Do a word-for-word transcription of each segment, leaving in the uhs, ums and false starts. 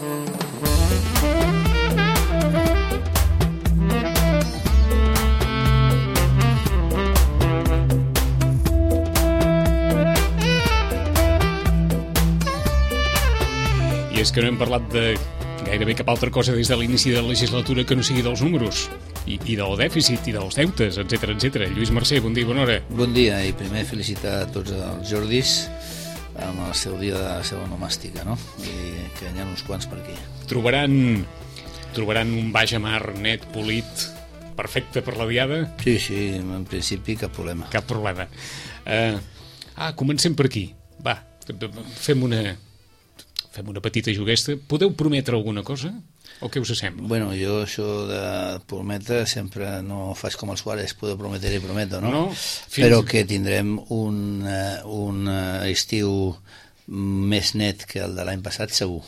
I és que no hem parlat de gairebé cap altra cosa des de l'inici de la legislatura que no sigui dels números i, i del dèficit i dels deutes, etcètera, etcètera. Lluís Mercè, bon dia, bona hora. Bon dia, i primer felicitar a tots els Jordis amb el seu dia de la seva onomàstica, no? I que n'hi ha uns quants per aquí. Trobaran, trobaran un baix a mar net, polit, perfecte per la diada? Sí, sí, en principi cap problema. Cap problema. Uh, ah, comencem per aquí. Va, fem una... fem una petita juguesta. Podeu prometre alguna cosa? O què us sembla? Bueno, jo això de prometre sempre no faig com els Suárez, puedo prometer i prometo, no? No, fins... Però que tindrem un, un estiu més net que el de l'any passat, segur.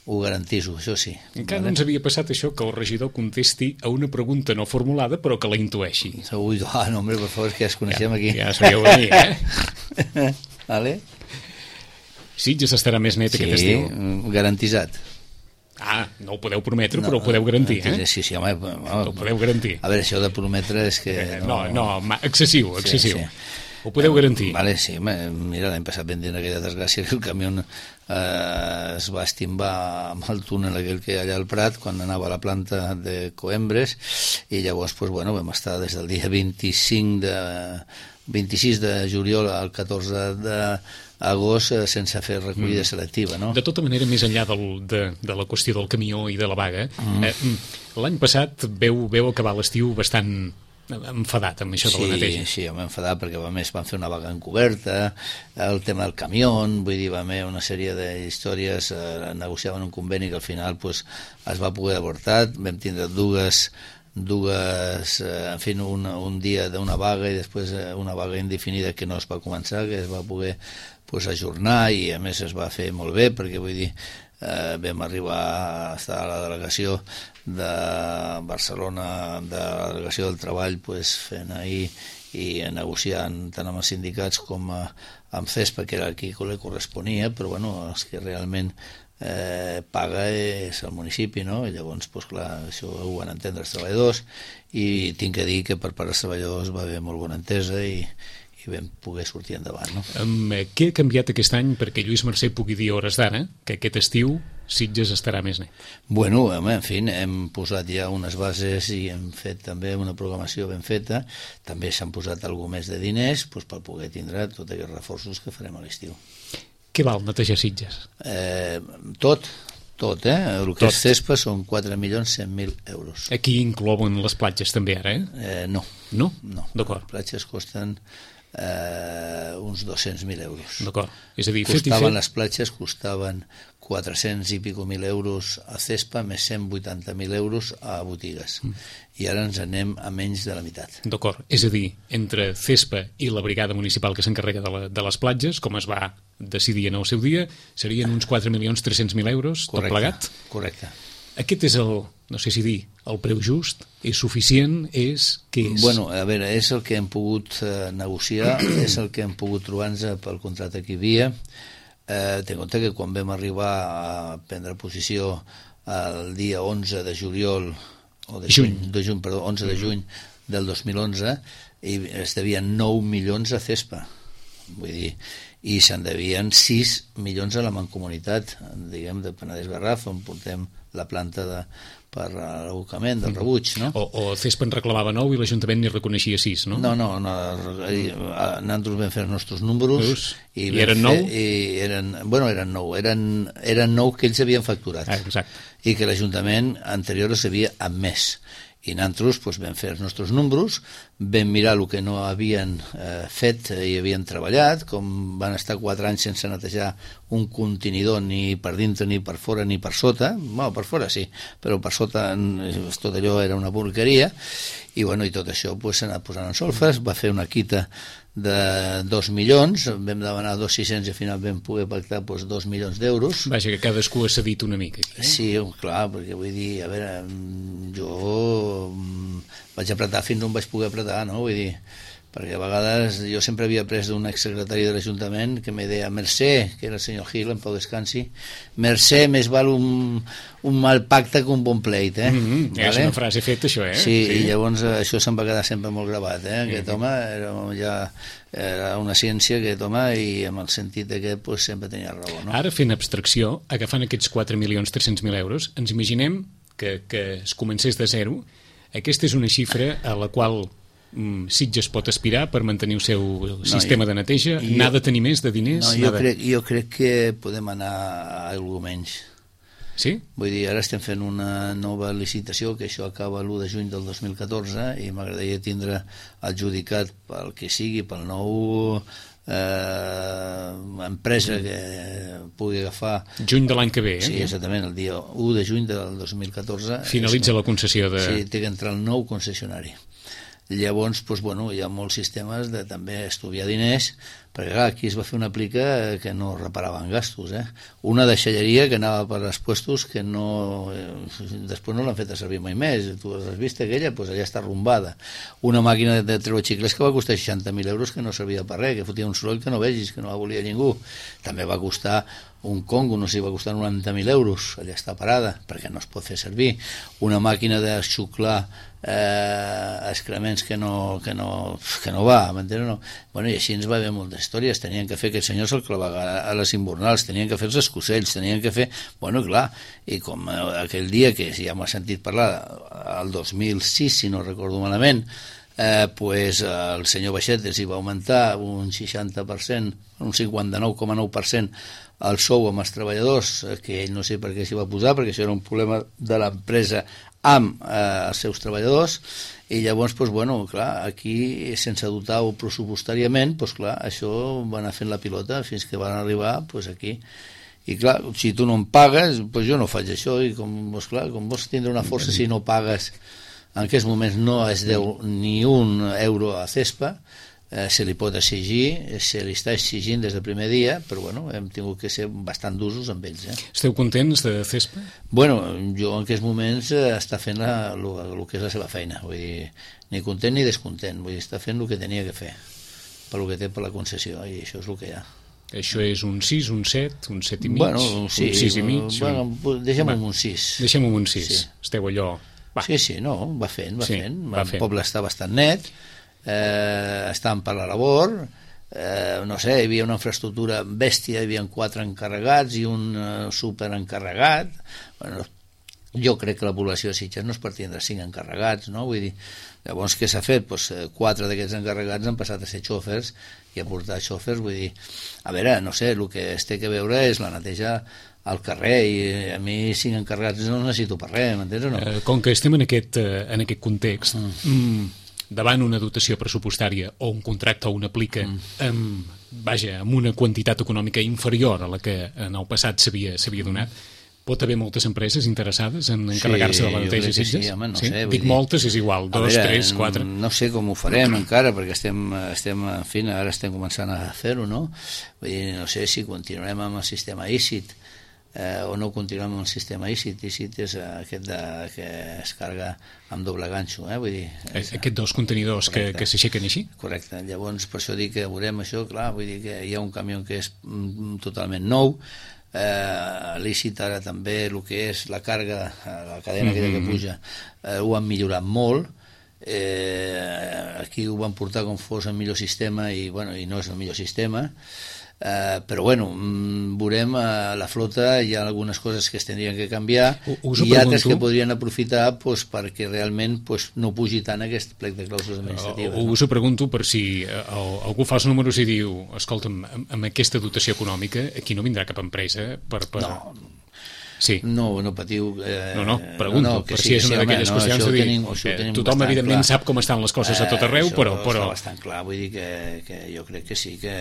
Ho garantiso, això sí. Encara no ens havia passat això, que el regidor contesti a una pregunta no formulada, però que la intueixi. Ui, ah, no, home, per favor, que ja es coneixem ja, aquí. Ja sabeu venir, eh? Vale? Sitges estarà més net sí, aquest estiu? Sí, garantitzat. Ah, no ho podeu prometre, no, però ho podeu garantir, eh? Sí, sí, home. Ho podeu garantir. A veure, això de prometre és que... No, no, no excessiu, excessiu. Sí, sí. Ho podeu eh, garantir. Vale, sí, mira, l'any passat vam dir aquella desgràcia que el camió eh, es va estimbar amb el túnel aquell que hi ha allà al Prat quan anava a la planta de Coembres i llavors, pues, bueno, vam estar des del dia vint-i-cinc de... vint-i-sis de juliol al catorze d'agost sense fer recollida mm. selectiva, no? De tota manera, més enllà del, de, de la qüestió del camió i de la vaga, mm. eh, l'any passat veu, veu acabar l'estiu bastant enfadat amb això sí, de la neteja. Sí, sí, vam enfadar perquè a més van fer una vaga encoberta, el tema del camió, vull dir, va haver una sèrie d'històries, eh, negociaven un conveni que al final pues, es va poder avortar, vam tindre dues dues, eh, en fi, un, un dia d'una vaga i després eh, una vaga indefinida que no es va començar, que es va poder pues, ajornar i a més es va fer molt bé perquè vull dir, eh, vam arribar a estar a la delegació de Barcelona, de la delegació del treball pues, fent ahir i negociant tant amb els sindicats com a, amb CESPA, que era qui li corresponia, però bueno, els que realment Eh, paga és el municipi, no? I llavors, pues, clar, això ho van entendre els treballadors i tinc que dir que per part dels treballadors va haver molt bona entesa i, i vam poder sortir endavant, no? Um, què ha canviat aquest any perquè Lluís Mercè pugui dir a hores d'ara que aquest estiu Sitges estarà més net? Bueno, home, en fi, hem posat ja unes bases i hem fet també una programació ben feta, també s'han posat algú més de diners pues, per poder tindre tots aquests reforços que farem a l'estiu. Què val netejar Sitges? Eh, tot, tot, eh? El que tot. És CESPA són quatre milions cent mil euros. Aquí inclouen les platges també ara, eh? eh no. No? No. D'acord. Les platges costen eh, uns dos-cents mil euros. D'acord. És a dir, costaven, fet i fet... les platges costaven quatre-cents i pico mil euros a CESPA més cent vuitanta mil euros a botigues. Mm. I ara ens anem a menys de la meitat. D'acord. És a dir, entre CESPA i la brigada municipal que s'encarrega de, la, de les platges, com es va decidir en el seu dia, serien uns quatre milions tres-cents mil euros, correcte, tot plegat? Correcte. Aquest és el, no sé si dir, el preu just? És suficient? És... Què és? Bueno, a veure, és el que hem pogut eh, negociar, és el que hem pogut trobar-nos pel contracte que hi havia. Eh, ten en compte que quan vam arribar a prendre posició el dia onze de juliol, o de juny, juny de juny, perdó, onze de juny del dos mil onze, i es devien nou milions a CESPA. Vull dir, i se'n devien sis milions a la Mancomunitat, diguem, de Penedès Garraf, on portem la planta de, per l'abocament del rebuig, no? O, o CESPA en reclamava nou i l'Ajuntament n'hi reconeixia sis, no? No, no, no, nosaltres vam fer els nostres números i, I eren nou? I eren, bueno, eren nou, eren, eren nou que ells havien facturat. Ah, exacte. I que l'Ajuntament anterior s'havia admès. I nosaltres doncs, vam fer els nostres números, vam mirar el que no havien eh, fet i havien treballat, com van estar quatre anys sense netejar un contenidor ni per dintre, ni per fora, ni per sota. Bueno, per fora sí, però per sota tot allò era una porqueria, i, bueno, i tot això s'ha pues, anat posant en solfes, va fer una quita de dos milions, vam demanar dos sis-cents i al final vam poder pactar pues, dos milions d'euros. Vaja, que cadascú ha cedit una mica. Aquí, eh? Sí, clar, perquè vull dir, a veure, jo vaig apretar fins on vaig poder apretar, no? Vull dir, perquè a vegades jo sempre havia après d'un exsecretari de l'Ajuntament que me deia Mercè, que era el senyor Gil, en pau descansi, Mercè més val un, un mal pacte que un bon pleit, eh? Mm-hmm. Vale? És una frase feta, això, eh? Sí, sí, i llavors això se'm va quedar sempre molt gravat, eh? Aquest mm-hmm. home era, ja, era una ciència, aquest home, i amb el sentit d'aquest pues, sempre tenia raó, no? Ara, fent abstracció, agafant aquests quatre milions tres-cents mil euros, ens imaginem que, que es comencés de zero. Aquesta és una xifra a la qual Sitges pot aspirar per mantenir el seu sistema no, jo, de neteja, jo, n'ha de tenir més de diners? No, jo crec, jo crec que podem anar a alguna menys. Sí? Vull dir, ara estem fent una nova licitació, que això acaba l'u de juny del dos mil catorze, i m'agradaria tindre adjudicat pel que sigui, pel nou eh, empresa que pugui agafar... Juny de l'any que ve, eh? Sí, exactament, el dia u de juny del dos mil catorze. Finalitza és, la concessió de... Sí, té que entrar el nou concessionari. Llavors, doncs, bueno, hi ha molts sistemes de també estudiar diners, perquè clar, aquí es va fer una plica que no reparaven gastos, eh? Una deixalleria que anava per els puestos que no... Eh, després no l'han fet a servir mai més. Tu has vist aquella? Doncs allà està arrumbada. Una màquina de treure xicles que va costar seixanta mil euros, que no servia per res, que fotia un soroll que no vegis, que no la volia ningú. També va costar un Congo, no sé, va costar noranta mil euros, allà està parada, perquè no es pot fer servir. Una màquina de xuclar eh, excrements que no, que no, que no va, m'entens? No? Bueno, i així ens va haver moltes històries. Tenien que fer, aquests senyors el clavar a les invernals, tenien que fer els escocells, tenien que fer... Bueno, clar, i com aquell dia que ja m'ha sentit parlar, el dos mil sis, si no recordo malament, eh, pues, el senyor Baixet els hi va augmentar un seixanta per cent, un cinquanta-nou coma nou per cent el sou amb els treballadors, que ell no sé per què s'hi va posar, perquè això era un problema de l'empresa amb eh, els seus treballadors, i llavors, doncs, bueno, clar, aquí, sense dotar-ho pressupostàriament, doncs, clar, això va anar fent la pilota fins que van arribar, doncs, aquí. I, clar, si tu no em pagues, doncs jo no faig això, i com, doncs, clar, com vols tindre una força si no pagues, en aquests moments no es deu ni un euro a CESPA, eh, se li pot exigir, se li està exigint des del primer dia, però bueno, hem tingut que ser bastant d'usos amb ells. Eh? Esteu contents de CESPA? Bueno, jo en aquests moments eh, està fent la, lo, lo que és la seva feina, vull dir, ni content ni descontent, vull dir, està fent el que tenia que fer, per lo que té per la concessió, i això és el que hi ha. Això és un sis, un set, un set i mig, bueno, sí, un sis i mig? Bueno, un... deixem-ho en un sis. Deixem-ho en un sis, sí. Esteu allò... Va. Sí, sí, no, va fent, va sí, fent. Va el fent. Poble està bastant net, eh, estan per la labor, eh, no sé, hi havia una infraestructura bèstia, hi havia quatre encarregats i un eh, superencarregat. Bueno, jo crec que la població de Sitges no es pot tindre cinc encarregats, no? Vull dir, llavors què s'ha fet? Pues, quatre d'aquests encarregats han passat a ser xòfers i a portar xòfers, vull dir, a veure, no sé, el que es té que veure és la neteja al carrer, i a mi cinc encarregats no necessito per res, m'entens o no? Eh, com que estem en aquest, eh, en aquest context, mm. Mm, davant una dotació pressupostària o un contracte o una plica mm. amb, vaja, amb una quantitat econòmica inferior a la que en el passat s'havia donat, pot haver moltes empreses interessades en encarregar-se sí, de la neteja sí, Sitges? Sí, home, no sí? sé, Dic dir... moltes, és igual, dos, veure, tres, quatre... No sé com ho farem encara, perquè estem, estem, en fi, ara estem començant a fer-ho, no? Vull dir, no sé si continuarem amb el sistema I C I T, eh, o no continuem amb el sistema I C I T. I C I T és aquest de, que es carga amb doble ganxo, eh? Vull dir... És, Aquests dos contenidors correcte, que, que s'aixequen així? Correcte, llavors per això dic que veurem això, clar, vull dir que hi ha un camió que és mm, totalment nou, eh, lícit ara també el que és la càrrega, la cadena mm-hmm. que puja, eh, ho han millorat molt, eh, aquí ho van portar com fos el millor sistema i, bueno, i no és el millor sistema. Uh, però bueno, veurem a la flota, hi ha algunes coses que es tindrien que canviar us i altres que podrien aprofitar pues, perquè realment pues, no pugi tant aquest plec de clàusules administratives. Uh, us ho pregunto per si uh, algú fa els números i diu, escolta'm, amb, amb aquesta dotació econòmica aquí no vindrà cap empresa per... per... No, sí. no, no patiu. Eh, no, no, pregunto, no, no, per si és una sí, d'aquelles no, qüestions de dir, tenim, eh, tothom evidentment clar. Sap com estan les coses a tot arreu, eh, però... però... Està bastant clar, vull dir que, que jo crec que sí, que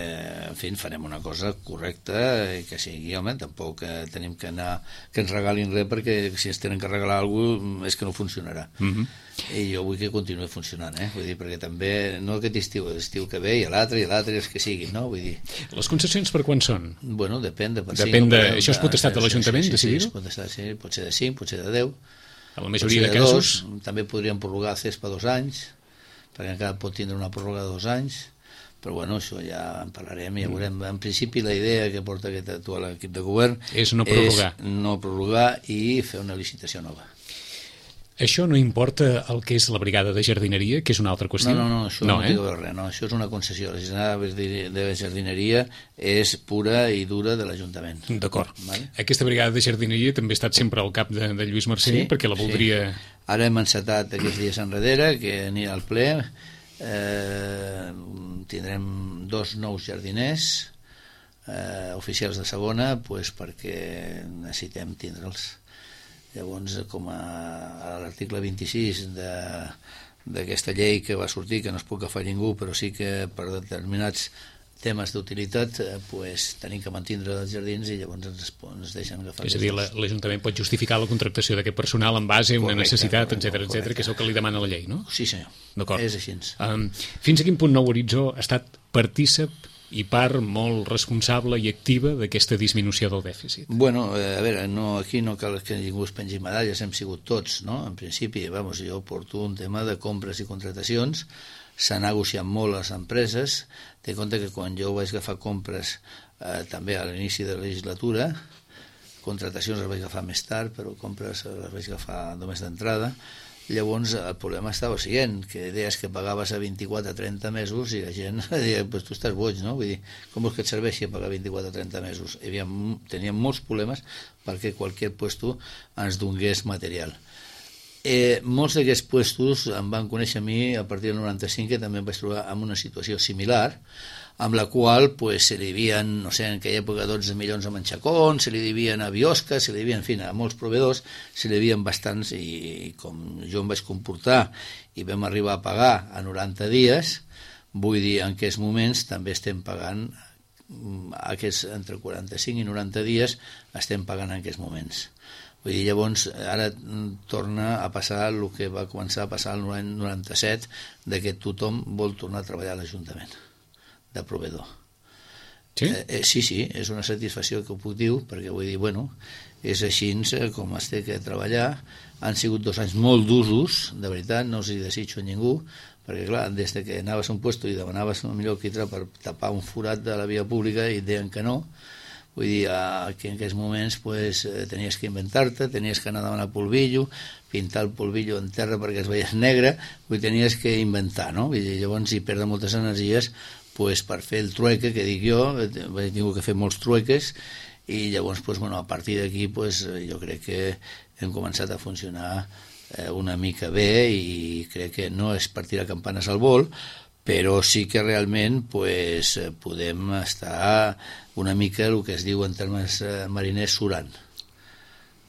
en fi, farem una cosa correcta i que sigui, home, tampoc eh, tenim que anar, que ens regalin res, perquè si ens tenen que regalar alguna cosa és que no funcionarà. Mm-hmm. I jo vull que continuï funcionant, eh? Vull dir, perquè també, no aquest estiu, l'estiu que ve i l'altre i l'altre, els que siguin, no? Vull dir... Les concessions per quan són? Bueno, depèn de per depèn cinc. De... Per això és potestat de l'Ajuntament, sí, sí, decidir-ho? Sí, pot, estar, sí, pot ser de cinc, pot ser de deu. A la majoria de, de casos... Dos, també podríem prorrogar el CESPA dos anys, perquè encara pot tindre una pròrroga de dos anys, però bueno, això ja en parlarem i ja veurem. En principi la idea que porta aquest actual equip de govern és no prorrogar, és no prorrogar i fer una licitació nova. Això no importa el que és la brigada de jardineria, que és una altra qüestió? No, no, no, això no, no eh? té a veure res, no, això és una concessió. La brigada de jardineria és pura i dura de l'Ajuntament. D'acord. Vale? Aquesta brigada de jardineria també ha estat sempre al cap de, de Lluís Mercè, sí, perquè la voldria... Sí. Ara hem encetat aquests dies enrere, que anirà al ple, eh, tindrem dos nous jardiners eh, oficials de segona, pues, perquè necessitem tindre'ls. Llavors, com a, a l'article vint-i-sis de, d'aquesta llei que va sortir, que no es pot agafar ningú, però sí que per determinats temes d'utilitat, eh, pues, tenim que mantindre els jardins i llavors ens, ens deixen agafar. És a dir, l'Ajuntament pot justificar la contractació d'aquest personal en base a una correcte, necessitat, etcètera, etcètera, que és el que li demana la llei, no? Sí, senyor. D'acord. És així. Um, fins a quin punt Nou Horitzó ha estat partícip i part molt responsable i activa d'aquesta disminució del dèficit? Bueno, eh, a veure, no, aquí no cal que ningú es pengi medalles, hem sigut tots, no? En principi, vamos, jo porto un tema de compres i contratacions, s'ha negociat molt a les empreses. Té en compte que quan jo vaig agafar compres eh, també a l'inici de la legislatura, contratacions les vaig agafar més tard, però compres les vaig agafar només d'entrada. Llavors el problema estava el següent, que deies que pagaves a vint-i-quatre a trenta mesos i la gent deia, pues tu estàs boig, no? Vull dir, com vols que et serveixi a pagar vint-i-quatre a trenta mesos? Hi havia, teníem molts problemes perquè qualsevol puesto ens donés material. Eh, molts d'aquests puestos em van conèixer a mi a partir del noranta-cinc, que també em vaig trobar en una situació similar, amb la qual pues, se li devien, no sé, en aquella època dotze milions a Manxacón, se li devien a Biosca, se li devien, en fi, a molts proveedors, se li devien bastants, i com jo em vaig comportar i vam arribar a pagar a noranta dies, vull dir, en aquests moments també estem pagant, aquests entre quaranta-cinc i noranta dies estem pagant en aquests moments. Vull dir, llavors, ara torna a passar el que va començar a passar l'any noranta-set, de que tothom vol tornar a treballar a l'Ajuntament, de proveedor. Sí? Eh, eh, sí, sí, és una satisfacció que ho puc dir, perquè vull dir, bueno, és així com es té que treballar. Han sigut dos anys molt d'usos, de veritat, no els hi desitjo a ningú, perquè clar, des que anaves a un puesto i demanaves el millor quitrà per tapar un forat de la via pública i deien que no. Vull dir, que en aquests moments pues, tenies que inventar-te, tenies que anar a demanar polvillo, pintar el polvillo en terra perquè es veies negre, vull dir, tenies que inventar, no? Vull dir, llavors hi perden moltes energies pues, per fer el trueque, que dic jo, he tingut que fer molts trueques, i llavors, pues, bueno, a partir d'aquí pues, jo crec que hem començat a funcionar eh, una mica bé, i crec que no és per tirar campanes al vol, però sí que realment pues, podem estar una mica el que es diu en termes mariners surant.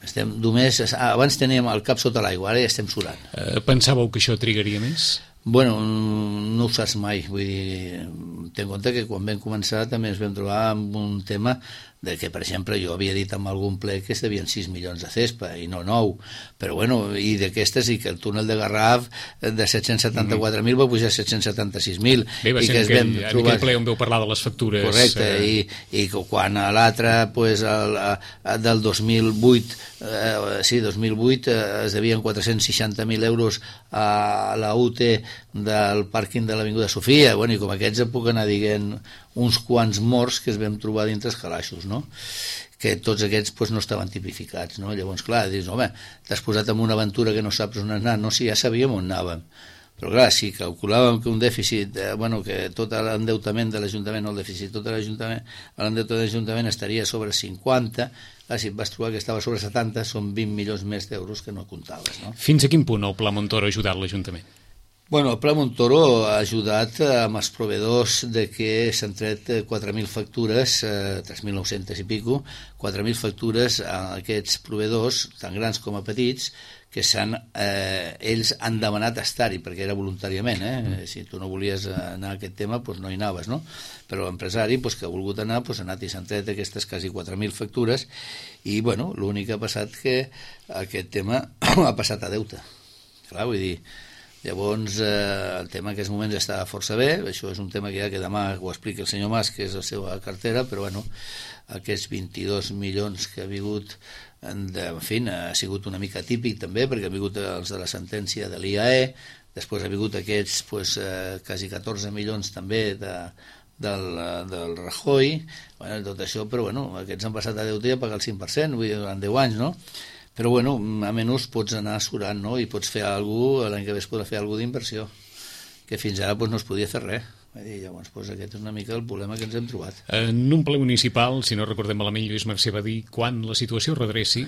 Estem només, abans teníem el cap sota l'aigua, ara ja estem surant. Eh, pensàveu que això trigaria més? Bueno, no ho saps mai, vull dir, ten en compte que quan vam començar també ens vam trobar amb un tema de que, per exemple, jo havia dit en algun ple que es devien sis milions de cespa i no nou, però bueno, i d'aquestes i que el túnel de Garraf de set-cents setanta-quatre mil va pujar a set-cents setanta-sis mil. Bé, va ser en aquell, en aquell ple on veu parlar de les factures. Correcte, eh... i, i quan a l'altre, pues, el, el, del dos mil vuit, eh, sí, dos mil vuit eh, es devien quatre-cents seixanta mil euros a la U T del pàrquing de l'Avinguda Sofia, bueno, i com aquests puc anar dient uns quants morts que es vam trobar dintre els calaixos, no? Que tots aquests pues, no estaven tipificats, no? Llavors, clar, dius, home, t'has posat en una aventura que no saps on anar, no, sí, ja sabíem on anàvem, però clar, si calculàvem que un dèficit, eh, bueno, que tot l'endeutament de l'Ajuntament, no el dèficit, tot l'Ajuntament, l'endeutament de l'Ajuntament estaria sobre cinquanta, clar, si et vas trobar que estava sobre setanta, són vint milions més d'euros que no comptaves, no? Fins a quin punt el Pla Montoro ha ajudat l'Ajuntament? Bueno, el Pla Montoro ha ajudat amb els proveedors de que s'han tret quatre mil factures, eh, tres mil nou-cents i pico, quatre mil factures a aquests proveedors, tan grans com a petits, que s'han, eh, ells han demanat estar-hi, perquè era voluntàriament, eh? Mm. Si tu no volies anar a aquest tema, doncs no hi anaves, no? Però l'empresari doncs, que ha volgut anar, doncs, ha anat i s'han tret aquestes quasi quatre mil factures, i bueno, l'únic que ha passat que aquest tema ha passat a deute. Clar, vull dir, llavors eh, el tema en aquests moments està força bé, això és un tema que ja que demà ho explica el senyor Mas, que és la seva cartera, però bueno, aquests vint-i-dos milions que ha vingut, en, de, en fi, ha sigut una mica típic també, perquè ha vingut els de la sentència de l'I A E, després ha vingut aquests pues, eh, quasi catorze milions també de, del, del Rajoy, bueno, tot això, però bueno, aquests han passat a deute a pagar el cinc per cent, vull dir, durant deu anys, no? Però bueno, a menys pots anar surant, no? I pots fer alguna cosa, l'any que ve es podrà fer alguna d'inversió, que fins ara pues, no es podia fer res. Dir, llavors, doncs, aquest és una mica el problema que ens hem trobat. En un ple municipal, si no recordem malament, Lluís Mercè va dir quan la situació redreci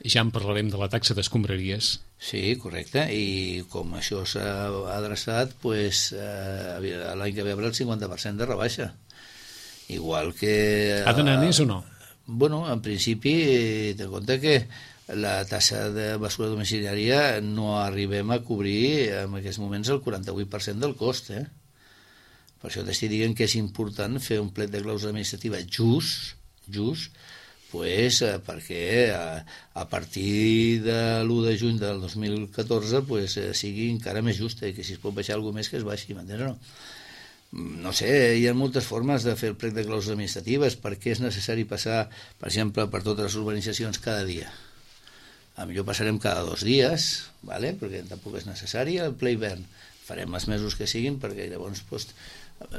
ja en parlarem de la taxa d'escombraries. Sí, correcte, i com això s'ha adreçat, pues, eh, l'any que ve hi haurà el cinquanta per cent de rebaixa. Igual que... Ha d'anar més o no? Bueno, en principi, ten compte que la tassa de basura domiciliària no arribem a cobrir en aquests moments el quaranta-vuit per cent del cost, eh? Per això t'estic dient que és important fer un plet de clàusula administrativa just, just, pues, eh, perquè a, a partir de l'u de juny del dos mil catorze pues, eh, sigui encara més justa i que si es pot baixar alguna més que es baixi, m'entens o no? No sé, hi ha moltes formes de fer el plec de clàusules administratives. Per què és necessari passar, per exemple, per totes les urbanitzacions cada dia? A millor passarem cada dos dies, ¿vale? Perquè tampoc és necessari el ple hivern. Farem els mesos que siguin perquè llavors pues,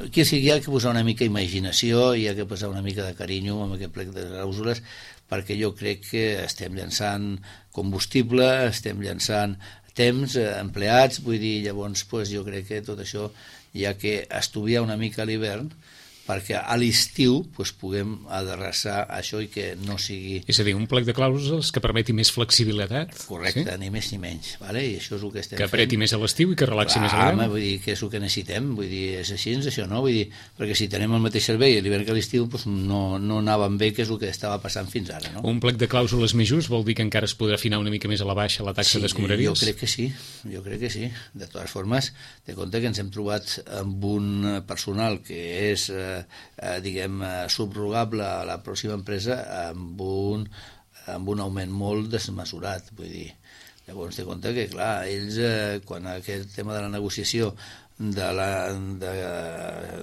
aquí sí, hi ha que posar una mica imaginació i hi ha que posar una mica de carinyo amb aquest plec de clàusules perquè jo crec que estem llançant combustible, estem llançant temps, eh, empleats, vull dir, llavors pues, jo crec que tot això hi ha que estudiar una mica a l'hivern perquè a l'estiu pues, puguem adreçar això i que no sigui... És a dir, un plec de clàusules que permeti més flexibilitat. Correcte, sí? Ni més ni menys, vale? I això és el que estem que apreti fent. Més a l'estiu i que relaxi Clar, més a l'hivern. Home, vull dir, que és el que necessitem, vull dir, és així, és això, no? Vull dir, perquè si tenem el mateix servei a l'hivern que a l'estiu, pues, no, no anàvem bé, que és el que estava passant fins ara, no? Un plec de clàusules més just vol dir que encara es podrà afinar una mica més a la baixa la taxa sí, d'escombraries? Jo crec que sí, jo crec que sí. De totes formes, de compte que ens hem trobat amb un personal que és, eh, eh, diguem, subrogable a la pròxima empresa amb un, amb un augment molt desmesurat, vull dir. Llavors, té compte que, clar, ells, eh, quan aquest tema de la negociació de l'any de,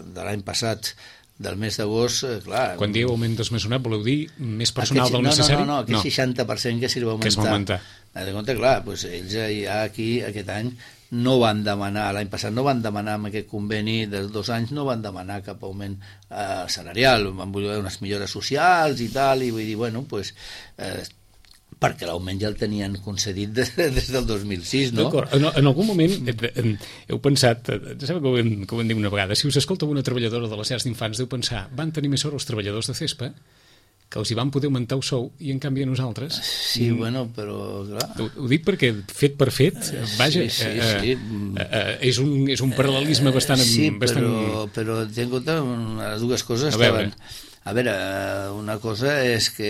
de l'any passat, del mes d'agost, eh, clar... Quan dieu augment desmesurat, voleu dir més personal aquest, del necessari? No, no, no, aquest no. seixanta per cent que s'hi va augmentar. Que es va augmentar. De compte, clar, doncs ells ja aquí, aquest any, no van demanar, l'any passat no van demanar amb aquest conveni dels dos anys, no van demanar cap augment eh, salarial, van voler unes millores socials i tal, i vull dir, bueno, doncs, eh, perquè l'augment ja el tenien concedit des, des del dos mil sis, no? D'acord, en, en algun moment heu pensat, sabeu que ho hem, que ho hem dit una vegada, si us escolta una treballadora de les llars d'infants, deu pensar, van tenir més sort els treballadors de CESPA, que els hi van poder augmentar el sou i en canvi a nosaltres... Sí, mm. bueno, però clar... Ho, ho dic perquè fet per fet, vaja, sí, sí, sí. Eh, eh, és, un, és un paral·lelisme bastant... Sí, bastant... però, però ten en compte les dues coses a veure. estaven... A veure, una cosa és que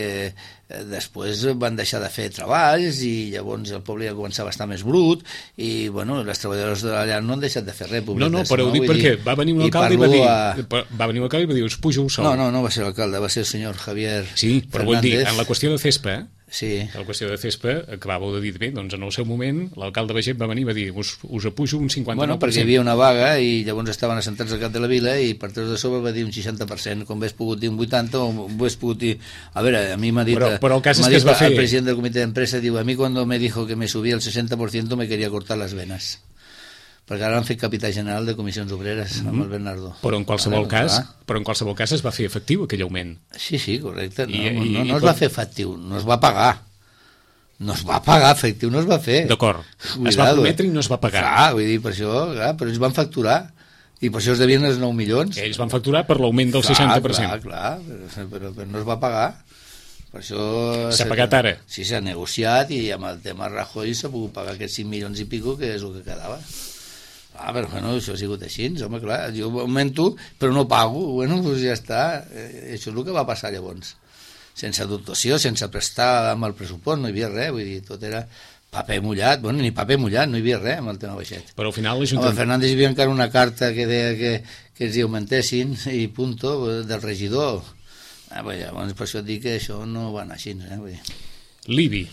després van deixar de fer treballs i llavors el poble ja començava a estar més brut i, bueno, les treballadores de la llar no han deixat de fer res. No, no, però ho dic perquè va venir un alcalde i va dir... A... Va venir un alcalde i va dir, us pujo el sou. No, no, no va ser l'alcalde, va ser el senyor Javier Sí, però Fernández. Vull dir, en la qüestió de CESPA... Sí. La qüestió de CESPA, acabàveu de dir bé, doncs en el seu moment l'alcalde Baiget va venir i va dir us, us apujo un cinquanta-nou per cent. Bueno, perquè hi havia una vaga i llavors estaven assentats al cap de la vila i per tres de sobre va dir un seixanta per cent, com hauria pogut dir un vuitanta o hauria pogut dir... A veure, a mi m'ha dit... Però, però el cas és que es va fer... El president del comitè d'empresa diu, a mi cuando me dijo que me subía el sesenta por ciento me quería cortar las venas. Perquè ara han fet capità general de comissions obreres mm-hmm. amb el Bernardo. Però en qualsevol vale, cas, però en qualsevol cas es va fer efectiu aquell augment. Sí, sí, correcte. No, I, no, i, no, no i es va fer efectiu, no es va pagar. No es va pagar, efectiu no es va fer. D'acord, es va prometre i no es va pagar. Clar, vull dir, per això, clar, però ells van facturar i per això es devien els nou milions. Ells van facturar per l'augment del clar, seixanta per cent. Clar, clar, però, però, però no es va pagar. Per això... S'ha pagat ara. Sí, s'ha negociat i amb el tema Rajoy s'ha pogut pagar aquests cinc milions i pico, que és el que quedava. Ah, però bueno, això ha sigut així, home, clar, jo augmento, però no pago, bueno, doncs ja està, eh, això és el que va passar llavors. Sense dotació, sense prestar amb el pressupost, no hi havia res, vull dir, tot era paper mullat, bueno, ni paper mullat, no hi havia res amb el tema baixet. Però al final l'Ajuntament... Home, Fernández hi havia encara una carta que deia que, que ens hi augmentessin, i punto, del regidor. Ah, bé, llavors per això et dic que això no va anar així, eh, vull dir. L'I B I.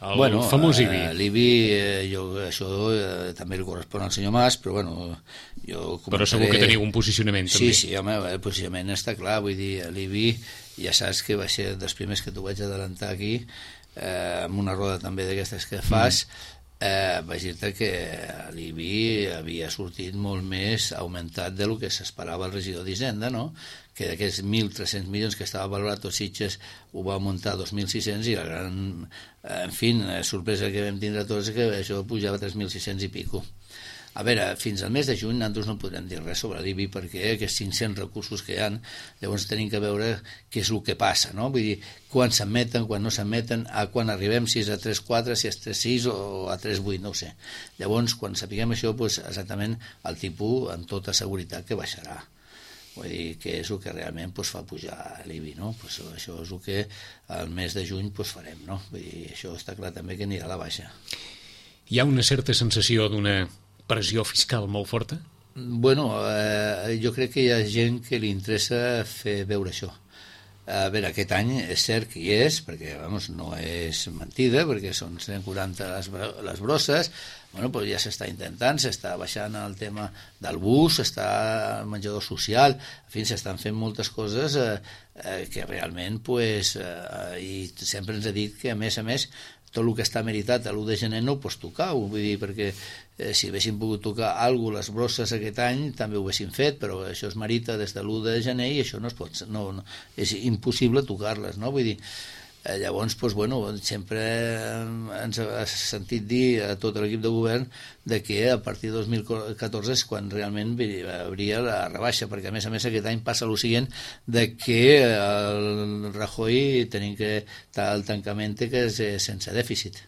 El bueno, famós I B I. Eh, L'I B I, eh, jo, això eh, també li correspon al senyor Mas, però bueno, jo comentaré... Però segur que teniu un posicionament sí, també. Sí, sí, home, el posicionament està clar, vull dir, l'I B I ja saps que va ser dels primers que t'ho vaig adelantar aquí, eh, amb una roda també d'aquestes que fas, mm. eh, vaig dir-te que l'I B I havia sortit molt més augmentat del que s'esperava el regidor d'Hisenda, no? Que d'aquests mil tres-cents milions que estava valorat tot Sitges ho va augmentar a dos mil sis-cents i la gran, en fi, sorpresa que vam tindre tots és que això pujava a tres mil sis-cents i pico. A veure, fins al mes de juny nosaltres no podrem dir res sobre l'I B I perquè aquests cinc-cents recursos que hi ha, llavors tenim que veure què és el que passa, no? Vull dir, quan s'admeten, quan no s'admeten, a quan arribem, si és a tres coma quatre, si és tres coma sis o a tres coma vuit, no ho sé. Llavors, quan sapiguem això, doncs, exactament el tipus, amb tota seguretat, que baixarà. Vull dir, que és el que realment doncs, fa pujar l'I B I, no? Pues això és el que al mes de juny doncs, farem, no? Vull dir, això està clar també que anirà a la baixa. Hi ha una certa sensació d'una pressió fiscal molt forta? Bueno, eh, jo crec que hi ha gent que li interessa fer veure això. A veure, aquest any és cert que hi és, perquè vamos, no és mentida, perquè són cent quaranta les, les brosses, bueno, però ja s'està intentant, s'està baixant el tema del bus, s'està el menjador social, en fi, s'estan fent moltes coses eh, eh, que realment, pues, eh, i sempre ens ha dit que a més a més tot el que està meritat a l'u de gener no ho pots tocar, vull dir, perquè eh, si haguéssim pogut tocar alguna cosa, les brosses aquest any també ho haguéssim fet, però això es merita des de l'u de gener i això no es pot, no, no, és impossible tocar-les, no? Vull dir, eh, llavors, doncs, bueno, sempre ens ha sentit dir a tot l'equip de govern de que a partir de dos mil catorze és quan realment hauria la rebaixa, perquè a més a més aquest any passa el següent de que el Rajoy tenim que el tancament que és sense dèficit.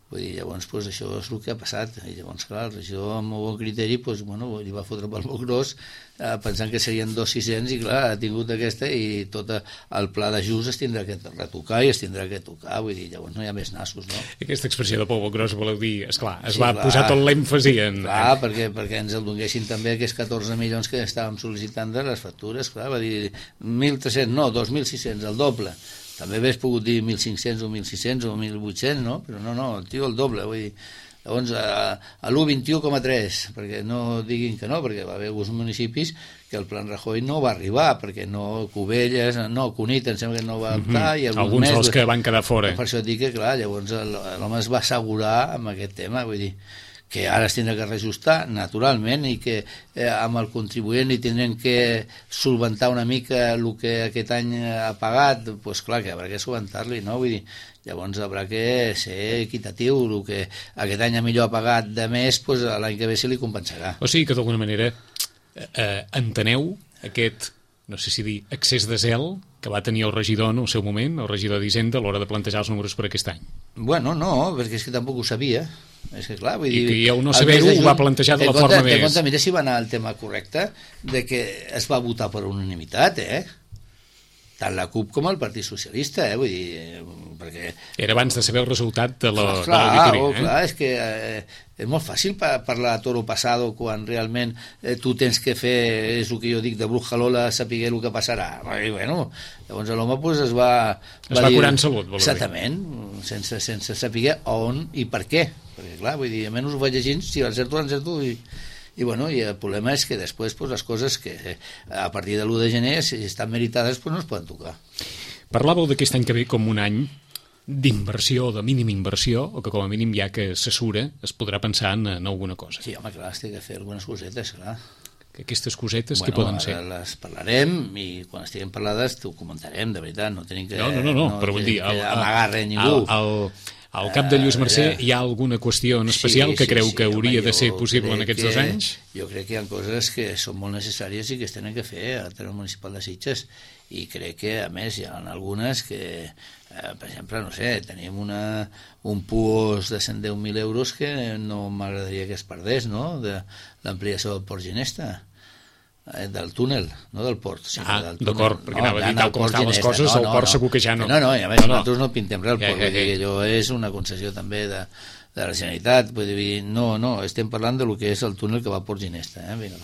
Vull dir, llavors, pues, això és el que ha passat. I llavors, clar, el regidor amb molt bon criteri, pues, bueno, li va fotre pel molt gros, eh, pensant que serien dos sis-cents, i clar, ha tingut aquesta, i tot el pla d'ajust es tindrà que retocar i es tindrà que tocar, vull dir, llavors no hi ha més nassos, no? Aquesta expressió de polvo gros voleu dir, esclar, es sí, va clar, posar tot l'èmfasi en... Clar, perquè, perquè ens el donguessin també aquests catorze milions que estàvem sol·licitant de les factures, clar, va dir mil tres-cents, no, dos mil sis-cents, el doble. També hagués pogut dir mil cinc-cents o mil sis-cents o mil vuit-cents, no? Però no, no, el tio el doble, vull dir, llavors a, a l'u vint un coma tres, perquè no diguin que no, perquè va haver alguns municipis que el plan Rajoy no va arribar, perquè no, Cubelles, no, Cunit, em sembla que no va optar, mm-hmm. i alguns, alguns més, dels que van quedar fora. Per això et dic que, clar, llavors l'home es va assegurar amb aquest tema, vull dir, que ara es tindrà que reajustar naturalment i que eh, amb el contribuent hi tindrem que solventar una mica el que aquest any ha pagat, doncs pues, clar que haurà que solventar-li, no? Vull dir, llavors haurà que ser equitatiu, el que aquest any millor ha pagat de més, pues, l'any que ve se li compensarà. O sigui que d'alguna manera eh, enteneu aquest, no sé si dir, excés de zel que va tenir el regidor en el seu moment, el regidor d'Hisenda, a l'hora de plantejar els números per aquest any. Bueno, no, perquè és que tampoc ho sabia. És que, clar, vull dir, I que el no saber-ho ho va plantejar de la compte, forma més... Compte, mira si va anar el tema correcte, de que es va votar per unanimitat, eh? Tant la CUP com el Partit Socialista, eh? Vull dir, perquè... Era abans de saber el resultat de la, clar, de l'auditoria, oh, eh? Clar, és que eh, és molt fàcil pa parlar a toro passado quan realment eh, tu tens que fer, és el que jo dic, de brujalola, saber el que passarà. I, bueno, llavors l'home pues, es va... Es va, va curar en salut, vol dir. Exactament, sense, sense saber on i per què. Perquè, clar, vull dir, almenys ho vaig llegint, si l'encerto, l'encerto, i... I, bueno, i el problema és que després pues, les coses que a partir de l'u de gener, si estan meritades, pues, no es poden tocar. Parlàveu d'aquest any que ve com un any d'inversió, de mínima inversió, o que com a mínim ja que s'assura es podrà pensar en, en alguna cosa. Sí, home, clar, es té que fer algunes cosetes, clar. Que aquestes cosetes, bueno, què poden ser? Bueno, les parlarem i quan estiguem parlades t'ho comentarem, de veritat, no tenim que... No, no, no, no, no però vull dir... El, amagar res ningú. El, el, al cap de Lluís Mercè uh, hi ha alguna qüestió en especial sí, que sí, creu sí, que hauria home, de ser possible en aquests que, dos anys? Jo crec que hi ha coses que són molt necessàries i que es tenen que fer a l'Ateneu Municipal de Sitges, i crec que a més hi ha algunes que eh, per exemple, no sé, tenim una, un puos de cent deu mil euros que no m'agradaria que es perdés, no?, de l'ampliació del Port Ginesta, del túnel, no del port. Sí, ah, d'acord, perquè no, anava a dir tal com estan les coses, no, el no, port no. segur que ja no. No, no, i a més no, no. nosaltres no pintem res, el port, ja, ja, ja. Allò és una concessió també de, de la Generalitat, vull dir, no, no, estem parlant de lo que és el túnel que va a Port Ginesta, eh, vinga,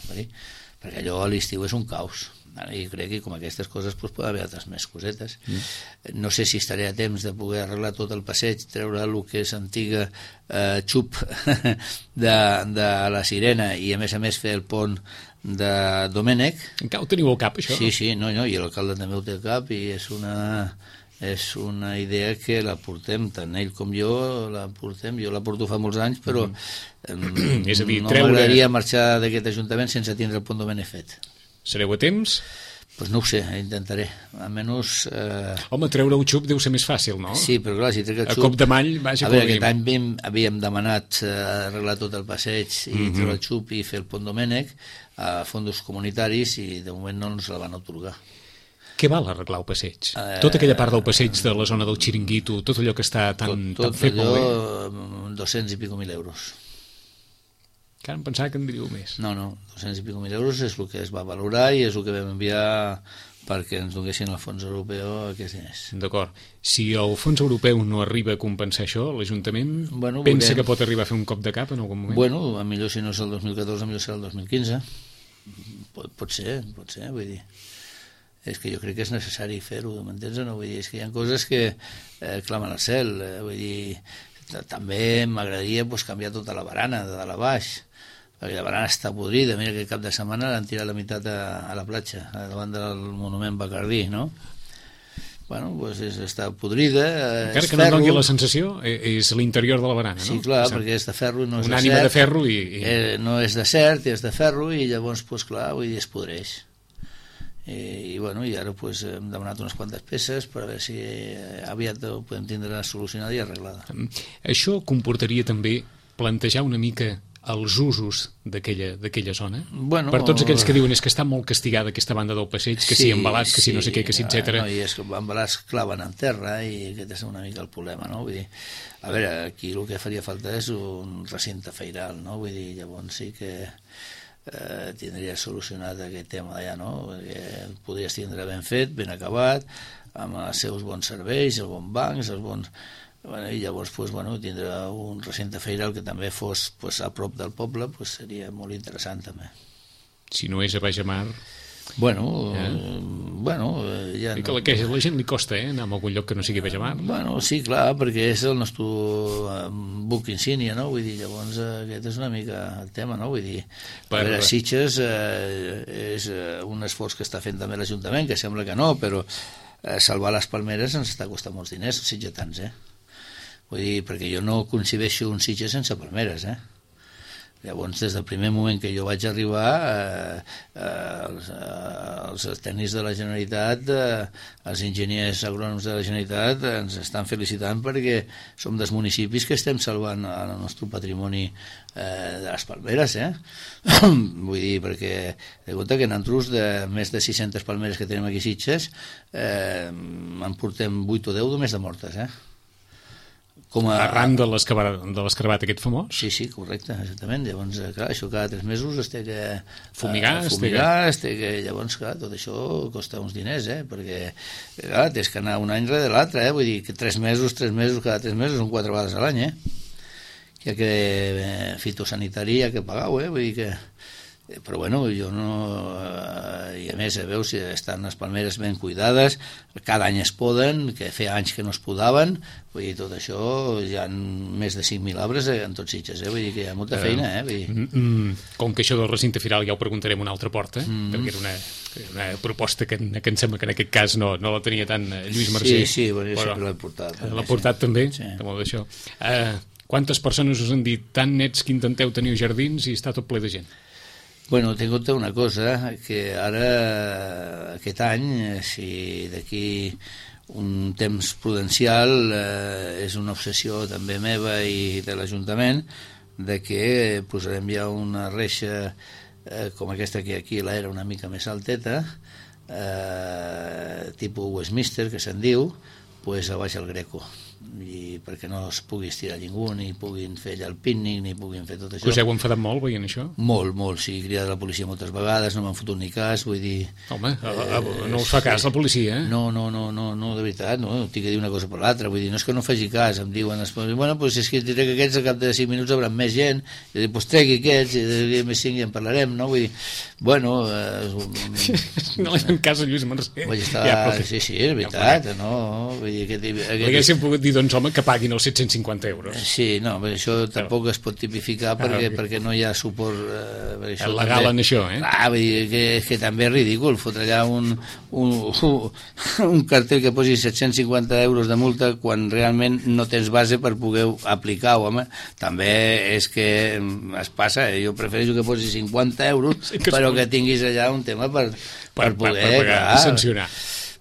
perquè allò a l'estiu és un caos. I crec que com aquestes coses pues, pot haver altres més cosetes. Mm. No sé si estaré a temps de poder arreglar tot el passeig, treure el que és antiga eh, xup de, de la Sirena i a més a més fer el pont de Domènec. Encara ho teniu al cap, això? Sí, sí, no, no, i l'alcalde també ho té al cap i és una... és una idea que la portem, tant ell com jo la portem, jo la porto fa molts anys, però mm. és a dir, no treure... m'agradaria marxar d'aquest ajuntament sense tindre el Pont Domènec fet. Sereu a temps? Pues no ho sé, intentaré. Almenys... Eh... Home, treure el xup deu ser més fàcil, no? Sí, però clar, si trec el xup... A cop de mall, vaja, a veure, aquest any havíem, havíem demanat eh, arreglar tot el passeig i mm -hmm. treure el xup i fer el Pont Domènec a fons comunitaris i de moment no ens la van atorgar. Què val arreglar el passeig? Eh, tota aquella part del passeig de la zona del Xiringuito, tot allò que està tan, tot, tot tan fet allò, molt bé? dos-cents i pico mil euros. Que em pensava que en diríeu més. No, no, dos-cents i pico mil euros és el que es va valorar i és el que vam enviar perquè ens donessin el fons europeu aquests diners. D'acord. Si el fons europeu no arriba a compensar això, l'Ajuntament bueno, pensa veurem. que pot arribar a fer un cop de cap en algun moment? Bueno, a millor si no és el dos mil catorze, a millor serà el dos mil quinze. Pot, pot ser, pot ser, vull dir... És que jo crec que és necessari fer-ho, m'entens o no? Vull dir, és que hi ha coses que eh, clamen al cel, eh, vull dir... També m'agradaria pues, canviar tota la barana de dalt a baix, perquè la barana està podrida. Mira que cap de setmana l'han tirat la meitat a, a la platja, davant del monument Bacardí, no? Bueno, doncs és, està podrida, encara és que ferro. no doni la sensació, és l'interior de la barana, no? Sí, clar, perquè és de ferro, no és un de ànima cert. de ferro i... i... Eh, no és de cert, és de ferro, i llavors, doncs clar, vull dir, es podreix. I, i bueno, i ara pues, hem demanat unes quantes peces per a veure si aviat ho podem tindre solucionada i arreglada. Això comportaria també plantejar una mica els usos d'aquella zona? Bueno, per tots aquells que diuen és que està molt castigada aquesta banda del passeig, que sí, si embalats, que sí, si no sé què, que si etcètera. No, i és que embalats claven en terra i aquest és una mica el problema, no? Vull dir, a veure, aquí el que faria falta és un recinte feiral, no? Vull dir, llavors sí que eh, tindria solucionat aquest tema d'allà, no? Perquè podries tindre ben fet, ben acabat, amb els seus bons serveis, els bons bancs, els bons... Bueno, i llavors pues, bueno, tindre un recinte feiral que també fos pues, a prop del poble pues, seria molt interessant també. Si no és a Baix a Mar... Bueno, ja. eh, bueno ja no... que a la gent li costa, eh, anar a algun lloc que no sigui Baix a Mar. Bueno, sí, clar, perquè és el nostre buc insígnia, no? Vull dir, llavors aquest és una mica el tema, no? Vull dir, per... a veure, Sitges eh, és un esforç que està fent també l'Ajuntament, que sembla que no, però eh, salvar les palmeres ens està costant molts diners, els sitgetans, eh? Vull dir, perquè jo no concebeixo un Sitges sense palmeres, eh? Llavors, des del primer moment que jo vaig arribar, eh, eh, els, eh, els tècnics de la Generalitat, eh, els enginyers agrònoms de la Generalitat ens estan felicitant perquè som dels municipis que estem salvant el nostre patrimoni eh, de les palmeres, eh? Vull dir, perquè de compte que nosaltres, de més de sis-centes palmeres que tenim aquí a Sitges, eh, en portem vuit o deu només de mortes, eh? Com a... Arran de l'escarbat aquest famós? Sí, sí, correcte, exactament. Llavors, clar, això cada tres mesos es té que fumigar, uh, fumigar es té que... Llavors, clar, tot això costa uns diners, eh? Perquè, clar, tens que anar un any rere l'altre, eh? Vull dir que tres mesos, tres mesos, cada tres mesos són quatre vegades a l'any, eh? Hi ha que... Eh, fitosanitari hi ha que pagar, eh? Vull dir que... Però bueno, jo no... Eh, I a més, eh, veus, si estan les palmeres ben cuidades, cada any es poden, que feia anys que no es podaven, vull dir, tot això, hi ha més de cinc mil arbres en tots Sitges, eh? Vull dir que hi ha molta feina, eh? Vull dir... Mm, com que això del recinte firal ja ho preguntarem una altra porta, mm. perquè era una, una proposta que, que em sembla que en aquest cas no, no la tenia tant Lluís Mercè. Sí, sí, bueno, jo sempre l'he portat. També, l'ha portat sí. també, sí. de molt d'això. Uh, quantes persones us han dit tan nets que intenteu tenir jardins i està tot ple de gent? Bueno, té en compte una cosa, que ara, aquest any, si d'aquí un temps prudencial, eh, és una obsessió també meva i de l'Ajuntament, de que posarem ja una reixa eh, com aquesta que aquí l'era una mica més alteta, eh, tipus Westminster, que se'n diu, pues a baix el Greco, i perquè no es pugui estirar ningú, ni puguin fer allà el pícnic, ni puguin fer tot això. Us heu enfadat molt veient això? Molt, molt, sí, cridat la policia moltes vegades, no m'han fotut ni cas, vull dir... Home, eh, no us fa cas la policia, eh? No, no, no, no, no de veritat, no, tinc que dir una cosa per l'altra, vull dir, no és que no faci cas, em diuen, bueno, pues és que diré que aquests a cap de cinc minuts haurà més gent, i dic, pues tregui aquests, i més cinc i en parlarem, no? Vull dir, bueno... Eh, no li fan cas a Lluís Mercè. Vaig estar, ja, però... sí, sí, és veritat, ja, no? Vull dir, aquest, aquest... Haguéssim pogut dir, doncs, doncs home, que paguin els set-cents cinquanta euros. Sí, no, això tampoc es pot tipificar perquè, ah, perquè no hi ha suport eh, això legal també, en això, eh? Ah, vull dir que, que també és ridícul fotre allà un, un, un cartell que posi set-cents cinquanta euros de multa quan realment no tens base per poder aplicar, home, també és que es passa, eh? Jo prefereixo que posi cinquanta euros, sí, que però que tinguis allà un tema per, per, per poder per pagar, clar, sancionar.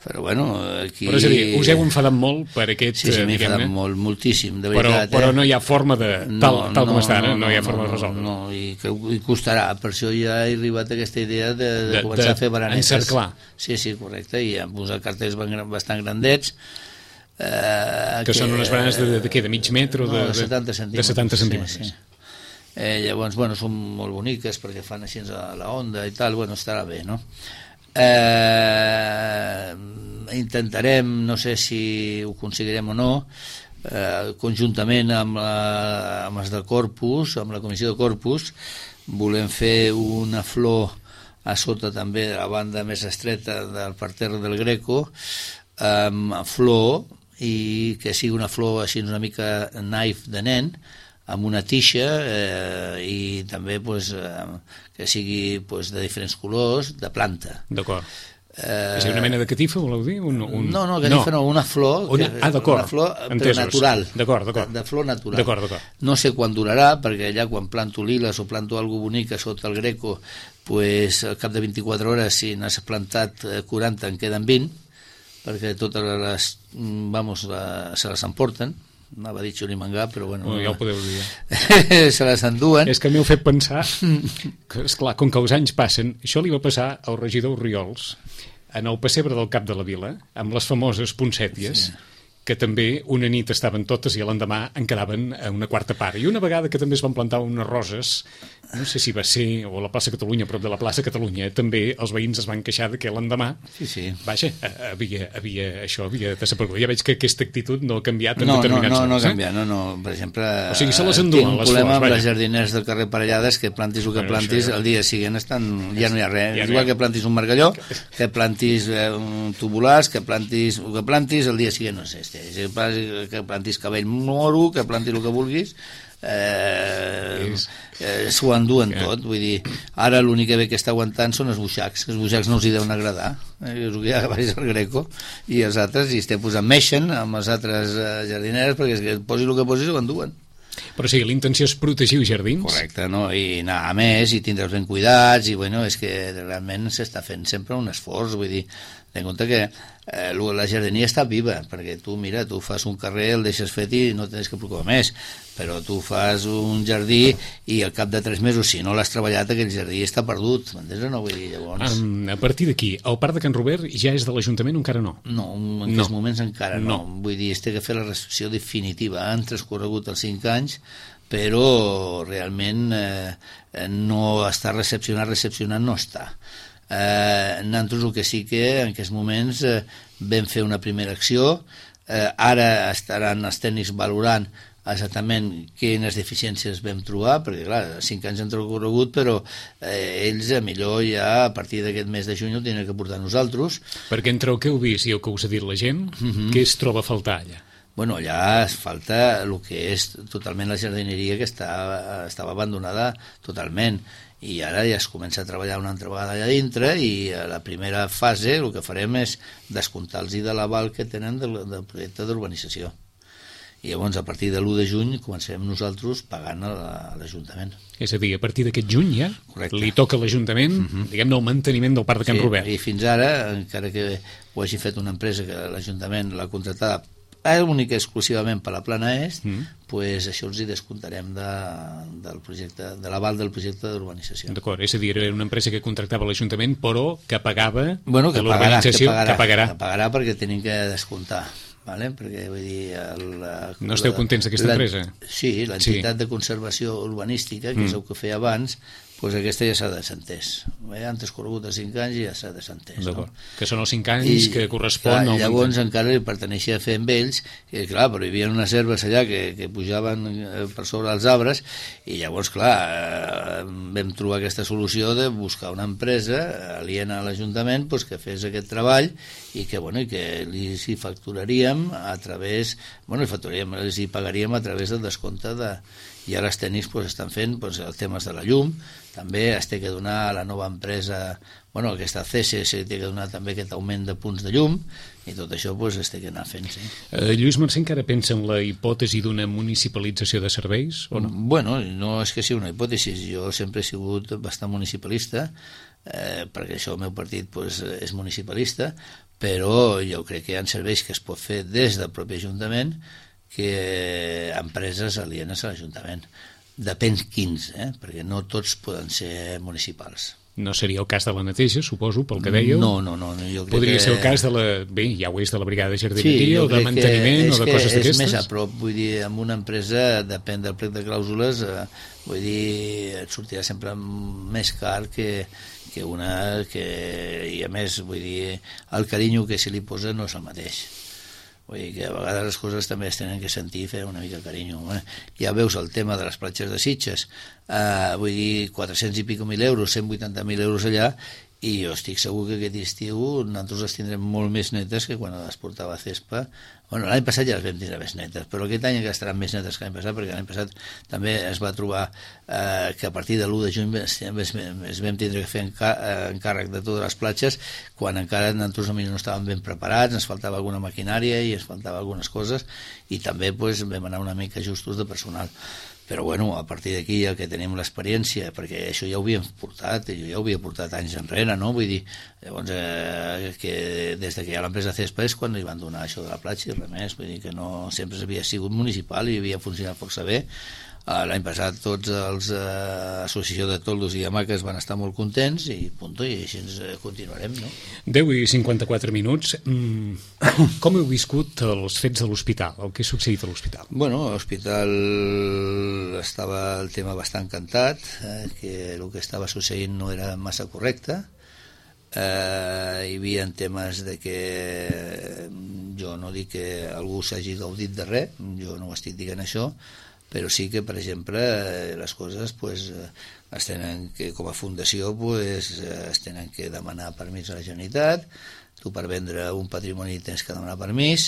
Però bueno, aquí... Però és a dir, us heu enfadat molt per aquest... Sí, sí, m'he enfadat molt, moltíssim, de veritat. Però, però no hi ha forma de... Tal, no, tal com no, està ara, no, no, no hi ha forma no, de resoldre. No, no, i que i costarà. Per això ja he arribat a aquesta idea de, de, de començar de, a fer baranetes. Encerclar. Sí, sí, correcte, i hem posat cartells bastant grandets. Eh, que, que són unes baranes de, de, de què, de mig metre? No, de, de setanta centímetres. De setanta centímetres. Sí, sí. Eh, llavors, bueno, són molt boniques perquè fan així a la onda i tal, bueno, estarà bé, no? Eh, intentarem, no sé si ho aconseguirem o no, eh, conjuntament amb, la, amb els de Corpus, amb la comissió de Corpus, volem fer una flor a sota també de la banda més estreta del parterre del Greco, amb flor, i que sigui una flor així una mica naif de nen, amb una tixa eh, i també pues, eh, que sigui pues, de diferents colors, de planta. D'acord. Eh, és una mena de catifa, voleu dir? Un, un... No, no, catifa no, no una flor, una... Ah, una flor però natural. D'acord, d'acord. De, de flor natural. D'acord, d'acord. No sé quan durarà, perquè allà quan planto liles o planto alguna bonica sota el Greco, pues, al cap de vint-i-quatre hores, si n'has plantat quaranta, en queden vint, perquè totes les, vamos, la, se les emporten. Anava a dir xurimangà, però bueno... Oh, ja ho podeu dir. Se les enduen. És que m'heu fet pensar que, esclar, com que els anys passen, això li va passar al regidor Oriols en el pessebre del Cap de la Vila, amb les famoses poncèties, sí, que també una nit estaven totes i l'endemà en quedaven a una quarta part. I una vegada que també es van plantar unes roses, no sé si va ser o a la plaça Catalunya, prop de la plaça Catalunya, també els veïns es van queixar de que l'endemà, sí, sí, vaja, havia, havia, això havia desaparegut. Ja veig que aquesta actitud no ha canviat en no, determinats no, no, anys. No, no ha canviat, no, no. Per exemple, o sigui, se les enduen, tinc un les problema flors, amb les jardiners del carrer Parellades, que plantis el que bueno, plantis, ja... el dia següent estan, ja no hi ha res. Ja no igual ha... que plantis un margalló, que plantis eh, un tubulars, que plantis el que plantis, el dia següent no sé, este, que plantis cabell moro, que plantis el que vulguis, eh, eh, s'ho enduen yeah. tot, vull dir, ara l'únic que ve que està aguantant són els buixacs, els buixacs no els hi deuen agradar, eh, és el que hi ha baix al Greco, i els altres, i estem posant meixen amb les altres eh, jardineres, perquè és que posis el que posis ho enduen. Però sí, l'intenció és protegir els jardins. Correcte, no? I anar a més, i tindre'ls ben cuidats, i bueno, és que realment s'està fent sempre un esforç, vull dir, ten en compte que eh, la jardineria està viva, perquè tu, mira, tu fas un carrer, el deixes fet i no tens que preocupar més, però tu fas un jardí i al cap de tres mesos, si no l'has treballat, aquell jardí està perdut, m'entens o no? Vull dir, llavors... Um, a partir d'aquí, el Parc de Can Robert ja és de l'Ajuntament o encara no? No, en aquests no. moments encara no. no. Vull dir, es té que fer la recepció definitiva. Han transcorregut els cinc anys, però realment eh, no està recepcionat, recepcionat no està. Eh, nosaltres el que sí que en aquests moments eh, vam fer una primera acció, eh, ara estaran els tècnics valorant exactament quines deficiències vam trobar, perquè clar, cinc anys han transcorregut, però eh, ells a millor ja a partir d'aquest mes de juny ho tenen que portar nosaltres. Perquè entre el que heu vist i el que us ha dit la gent, uh-huh. què es troba a faltar allà? Bueno, allà es falta el que és totalment la jardineria, que està, estava abandonada totalment, i ara ja es comença a treballar una altra vegada allà dintre, i a la primera fase el que farem és descomptar-los de l'aval que tenen del, del projecte d'urbanització. I llavors a partir de l'u de juny comencem nosaltres pagant a l'Ajuntament. És a dir, a partir d'aquest juny ja Correcte. Li toca a l'Ajuntament, uh-huh. diguem-ne, el manteniment del Parc de Can sí, Robert. I fins ara, encara que ho hagi fet una empresa que l'Ajuntament l'ha contratada únic exclusivament per la plana est, mm. pues això els hi descomptarem de, del projecte, de l'aval del projecte d'urbanització. D'acord, és a dir, era una empresa que contractava l'Ajuntament, però que pagava bueno, que l'urbanització, pagarà, que, que pagarà. Que pagarà perquè tenim que descomptar. Vale? Perquè, vull dir, el, la, no esteu contents d'aquesta empresa? Sí, l'entitat sí. de conservació urbanística, que mm. és el que feia abans, doncs aquesta ja s'ha desentès. Eh? Han transcorregut els cinc anys i ja s'ha desentès. No? Que són els cinc anys I, que correspon... Clar, llavors encara li perteneixia a fer amb ells, i clar, però hi havia unes herbes allà que, que pujaven per sobre els arbres, i llavors, clar, eh, vam trobar aquesta solució de buscar una empresa aliena a l'Ajuntament pues, que fes aquest treball i que, bueno, i que li hi facturaríem a través... Bueno, li facturaríem, li pagaríem a través del descompte de... I ara els tècnics pues, estan fent pues, els temes de la llum, també es té que donar a la nova empresa, bueno, aquesta C S se té que donar també aquest augment de punts de llum, i tot això pues, es té que anar fent, sí. Eh, Lluís Mercè encara pensa en la hipòtesi d'una municipalització de serveis, o no? Bueno, no és que sigui una hipòtesi, jo sempre he sigut bastant municipalista, eh, perquè això el meu partit pues, és municipalista, però jo crec que hi ha serveis que es pot fer des del propi Ajuntament que empreses alienes a l'Ajuntament. Depèn quins, eh? Perquè no tots poden ser municipals. No seria el cas de la neteja, suposo, pel que dèieu? No, no, no. Jo crec Podria que... ser el cas de la... Bé, ja ho és, de la brigada de jardineria, sí, o de manteniment, o de coses d'aquestes? És més a prop, vull dir, amb una empresa, depèn del plec de clàusules, eh, vull dir, et sortirà sempre més car que, que una que... I a més, vull dir, el carinyo que se li posa no és el mateix. Vull dir que a vegades les coses també es tenen que sentir i fer una mica carinyo. Eh? Ja veus el tema de les platges de Sitges, eh, vull dir, quatre-cents i pico mil euros, cent vuitanta mil euros allà, i jo estic segur que aquest estiu nosaltres les tindrem molt més netes que quan les portava a Cespa. Bueno, l'any passat ja les vam tindre més netes, però aquest any ja estaran més netes que l'any passat, perquè l'any passat també es va trobar eh, que a partir de l'u de juny es, es, es vam tindre que fer encàrrec de totes les platges, quan encara nosaltres no estàvem ben preparats, ens faltava alguna maquinària i ens faltava algunes coses, i també pues, vam anar una mica justos de personal. Però bueno, a partir d'aquí ja que tenim l'experiència, perquè això ja ho havíem portat, jo ja ho havia portat anys enrere, no? Vull dir, llavors, eh, que des que hi ha l'empresa Cespa és quan li van donar això de la platja i res més, vull dir que no sempre havia sigut municipal i havia funcionat força bé. L'any passat tots els eh, associació de toldos i hamaques van estar molt contents i punto, i així ens continuarem, no? deu i cinquanta-quatre minuts. Mm, com heu viscut els fets de l'hospital, el que ha succeït a l'hospital? Bueno, a l'hospital estava el tema bastant cantat, eh, que el que estava succeint no era massa correcte. Eh, hi havia temes de que jo no dic que algú s'hagi gaudit de res, jo no ho estic dient això, però sí que, per exemple, les coses pues, es tenen que, com a fundació pues, es tenen que demanar permís a la Generalitat. Tu per vendre un patrimoni tens que demanar permís,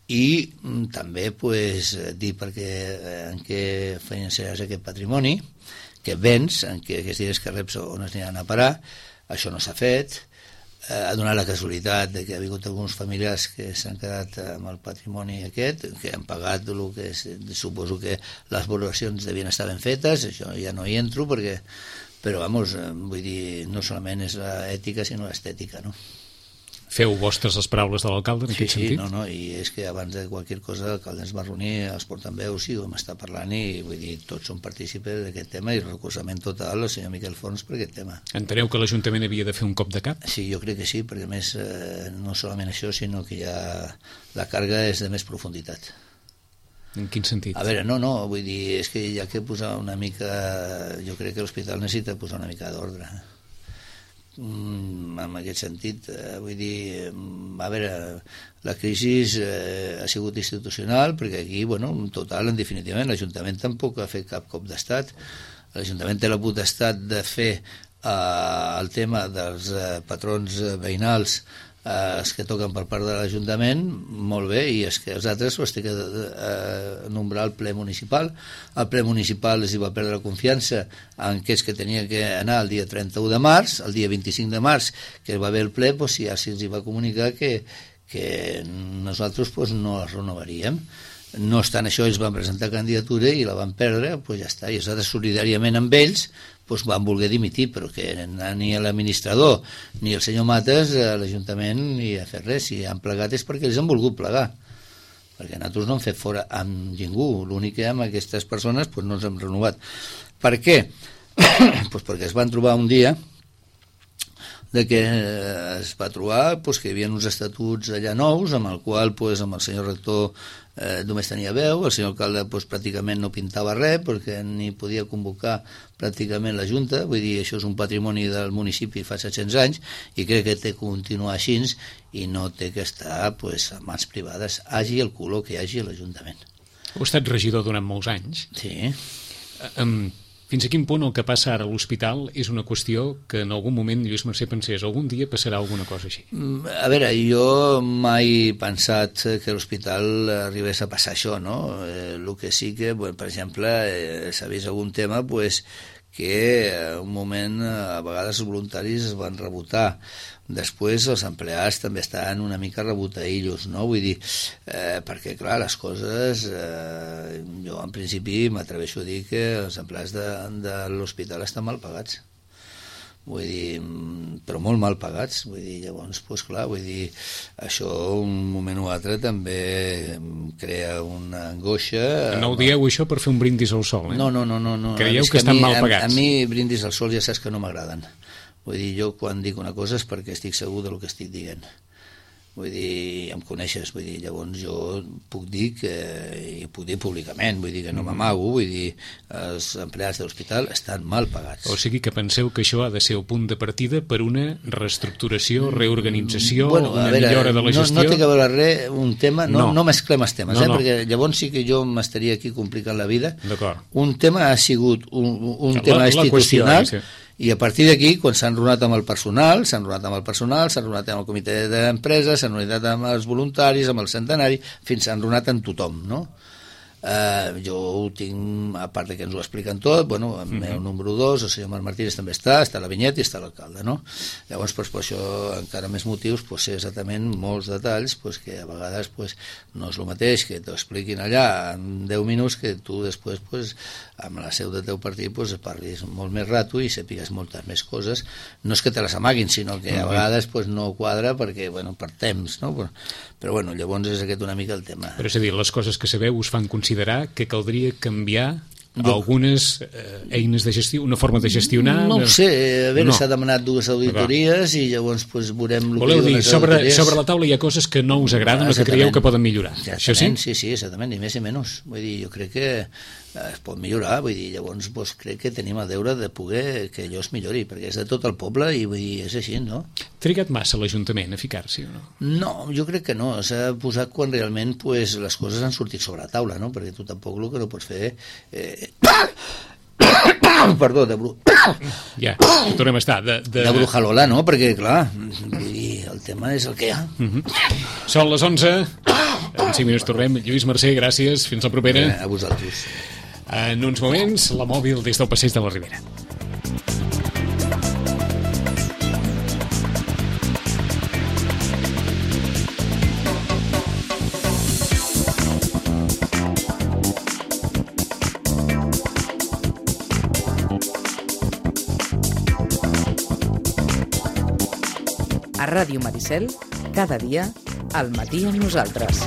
i també pues, dir perquè, en què finançaràs aquest patrimoni que vens, en què aquests diners que reps on es aniran a parar. Això no s'ha fet. Ha donat la casualitat de que ha hagut alguns familiars que s'han quedat amb el patrimoni aquest, que han pagat el que és, suposo que les valoracions devien estar ben fetes, això ja no hi entro, perquè, però vamos, vull dir, no solament és l'ètica sinó l'estètica, no? Feu vostres les paraules de l'alcalde en sí, aquest sí, sentit? No, no, i és que abans de qualsevol cosa l'alcalde ens va reunir, els portaveus i vam estar parlant i vull dir, tots som partícips d'aquest tema i el recolzament total al senyor Miquel Forns per aquest tema. Enteneu que l'Ajuntament havia de fer un cop de cap? Sí, jo crec que sí, perquè a més eh, no solament això, sinó que ja la càrrega és de més profunditat. En quin sentit? A veure, no, no, vull dir, és que hi ha que posar una mica, jo crec que l'hospital necessita posar una mica d'ordre. Mm, en aquest sentit, eh, vull dir, a veure, la crisi eh, ha sigut institucional, perquè aquí, bueno, en total, en definitivament, l'Ajuntament tampoc ha fet cap cop d'estat. L'Ajuntament té la potestat de fer eh, el tema dels eh, patrons veïnals, eh, els que toquen per part de l'Ajuntament, molt bé, i és que els altres els té que eh, nombrar el ple municipal. El ple municipal els hi va perdre la confiança en que és que tenia que anar el dia trenta-u de març, el dia vint-i-cinc de març, que va haver el ple, doncs ja se'ls va comunicar que, que nosaltres doncs, no els renovaríem. No obstant això, ells van presentar candidatura i la van perdre, doncs ja està, i nosaltres solidàriament amb ells doncs van voler dimitir, però que ni l'administrador ni el senyor Mates a l'Ajuntament ni a fer res, si han plegat és perquè ells han volgut plegar, perquè nosaltres no hem fet fora amb ningú, l'únic que amb aquestes persones doncs no ens hem renovat. Per què? Doncs perquè es van trobar un dia de que eh, es va trobar pues, que hi havia uns estatuts allà nous, amb el qual pues, amb el senyor rector eh, només tenia veu, el senyor alcalde pues, pràcticament no pintava res perquè ni podia convocar pràcticament la Junta, vull dir, això és un patrimoni del municipi fa set-cents anys i crec que té que continuar així i no té que estar pues, a mans privades, hagi el color que hi hagi a l'Ajuntament. Heu estat regidor durant molts anys. Sí. Um, fins a quin punt el que passa ara a l'hospital és una qüestió que en algun moment Lluís Mercè pensés algun dia passarà alguna cosa així? A veure, jo mai he pensat que a l'hospital arribés a passar això, no? Eh, el que sí que, bueno, per exemple, eh, s'ha vist algun tema pues, que en un moment a vegades els voluntaris es van rebotar. Després els empleats també estan una mica rebotaïllos, no? Vull dir, eh, perquè clar, les coses, eh, jo en principi m'atreveixo a dir que els empleats de, de l'hospital estan mal pagats. Vull dir, però molt mal pagats, vull dir, llavors, doncs clar, vull dir, això un moment o altre també crea una angoixa. No ho dieu això per fer un brindis al sol, eh? No, no, no, no. no. Creieu que, que estan mi, mal pagats? A, a mi brindis al sol ja saps que no m'agraden. Vull dir, jo quan dic una cosa és perquè estic segur del que estic dient. Vull dir, em coneixes, vull dir, llavors jo puc dir que, i puc dir públicament, vull dir que no m'amago, vull dir, els empleats de l'hospital estan mal pagats. O sigui que penseu que això ha de ser el punt de partida per una reestructuració, reorganització, bueno, una veure, millora de la gestió? No, no té que veure res, un tema, no, no. no mesclem els temes, no, eh? no. Perquè llavors sí que jo m'estaria aquí complicant la vida. D'acord. Un tema ha sigut un, un la, tema la institucional, qüestió, sí. I a partir d'aquí, quan s'han runat amb el personal, s'han runat amb el personal, s'han runat amb el comitè d'empresa, s'han runat amb els voluntaris, amb el centenari, fins s'han runat amb tothom, no? Uh, jo ho tinc, a part que ens ho expliquen tot, bueno, el meu número dos, el senyor Marc Martínez també està, està la Vinyet i està l'alcalde, no? Llavors, pues, per això, encara més motius, pues, sé exactament molts detalls pues, que a vegades pues, no és el mateix que t'ho expliquin allà en deu minuts que tu després, pues, amb la seu del teu partit, pues, parlis molt més rato i sàpigues moltes més coses. No és que te les amaguin, sinó que a vegades pues, no quadra perquè, bueno, per temps, no? Però, però bueno, llavors és aquest una mica el tema. Però és a dir, les coses que sabeu us fan considerar que caldria canviar Jo... algunes eh, eines de gestió, una forma de gestionar... No ho sé, a veure, no. s'ha demanat dues auditories i llavors pues, veurem... Voleu dir, sobre, sobre la taula hi ha coses que no us agraden o que creieu que poden millorar. Això sí? Sí, sí, exactament, ni més ni menys. Vull dir, jo crec que es pot millorar, vull dir, llavors pues, crec que tenim el deure de poder que allò es millori, perquè és de tot el poble i vull dir, és així, no? Trigat massa l'Ajuntament a ficar-s'hi o no? No, jo crec que no, s'ha posat quan realment pues, les coses han sortit sobre la taula, no? Perquè tu tampoc el que no pots fer... Eh... Perdó, de bru... Ja, hi tornem a estar. De, de... de brujalola, no? Perquè, clar, vull dir, el tema és el que hi ha. Uh -huh. Són les onze, en cinc minuts tornem. Lluís Mercè, gràcies, fins la propera. Eh, a vosaltres. En uns moments, la mòbil des del passeig de la Ribera. A Ràdio Maricel, cada dia, al matí amb nosaltres.